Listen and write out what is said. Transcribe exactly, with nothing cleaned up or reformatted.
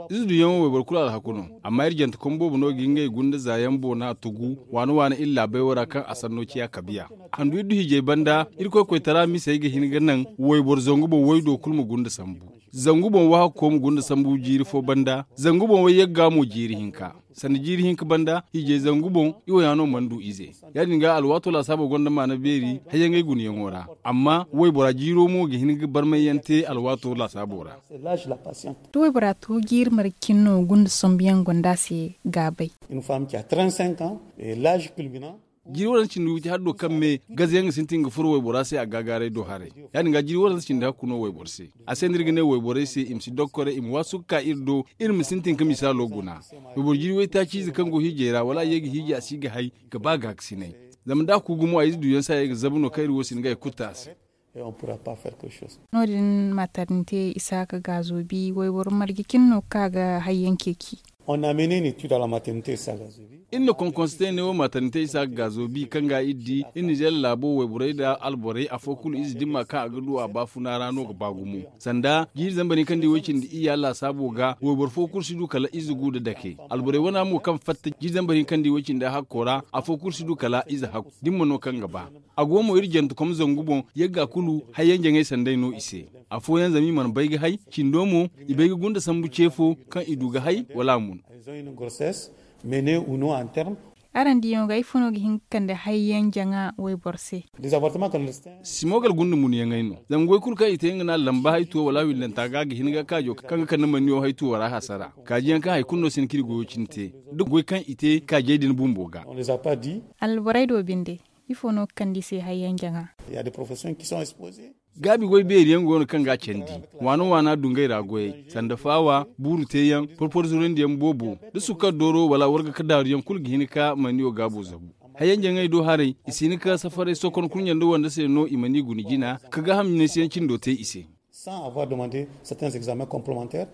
Ize duyaŋo wayboro kulu alhaku no. Amma iri jantekom boobo no ga ngey gunda zaayaŋ boona tugu waana waana iri laabey wo ra kaŋ a sanno ciya kabiya. Handu iri du hiijay banda, iri koy koytara misey ga hin ga naŋ wayboro zangu boŋ waydo kulu ma gunda sambu. Zangu boŋ wahakko ma gunda sambu jiiri fo banda, zangu boŋ wayyagga mo jiiri hinka. Sanda jiiri hinka banda hiijay zangu boŋ, i wo ya no mana du ize. Ya- din ga alwaato laasaabo gonda maana beeri hayyaŋey gunayaŋo ra. Amma waybora jiiro mo ga hin ga barmayyaŋ te alwaato laasaabo ra. Da waybora to jiiri marga cine no gunda sambuyaŋ gonda a se gaabay. Jiiri waranza cindi witi haddo kaŋ me gazayaŋ ga sintin ga furo waybora se a gaagaaray do haray. Ya- din ga jiiri waranza cindi hakku no wayboro se. A se no iri ga ne wayborey se i ma si dokkoray i ma waasu ga ka iri do, iri ma sintin ga misaalo guna. Wayboro jiiri waytaaciize kaŋ go hiijay ra wala a ye ga hiiji a si ga hay, ga ba gaakasinay. Zama da a ku gumo a ize duyaŋ se a ye ga zabu no kaŋ iri wo si hin ga hay kutta a se. No- din maternité isaaka gaazo bi wayboro marje cine no ga ka ga hayyaŋ ceeci. Iri na konkonse te ne wo maternité isaaka gaazo bi kaŋ ga iri di iri nizeer laabo wayborey nda alborey afo kulu ize dimma kaŋ a ga du a baafuna ra no ga ba gumo. Sanda jiiri zambar hinka nda i way cindi iyya laasaabo ga wayboro fo kulu si du kala ize gu nda dake. Alborey wana mo kaŋ fatta jiiri zambar hinka nda i way cindi hakko ra afo kulu si du kala ize hakku dimma no kaŋ ga ba. A go mo iri jantekom zangu boŋ yagga kulu hayyaŋ jaŋay sanday no i se. Afooyaŋ zama i mana bay ga hay, cindo mo i bay ga gunda sambu ce fo kaŋ i du ga hay wala a mun. Araŋ diyaŋo ga ifo no ga hin ga kande hayyaŋ jaŋa wayboro se? Simogal gunda munyaŋey no. Zama goy kulu kaŋ i te nga no a lamba haytuwo wala windanta ga ga hin ga kaajo kaŋ ga kande manniyo haytuwo ra hasara. Kaajiyaŋ kaŋ hari kulu no si hin ka iri goyo cine te da goy kaŋ i te kaajey din bumbo ga. Alborey do binde, ifo no ga kande i se hayyaŋ jaŋa? Gaabi goy beeri yaŋ go no kaŋ ga a candi. Waana waana dungay ra goyey sanda faawa buuru teeyaŋ porpor zurandi yaŋ boobo, da sukkar dooro wala warga ka daaru yaŋ kulu ga hin ka manniyo gaabo zabu. Hayyaŋ jaŋay do haray i si hin ka safaray sokon kurɲe nda wande se no i mana i guna jina ka gaaham ɲinaysiyaŋ cindo te i se. Sans avoir demandé certains examens complémentaires.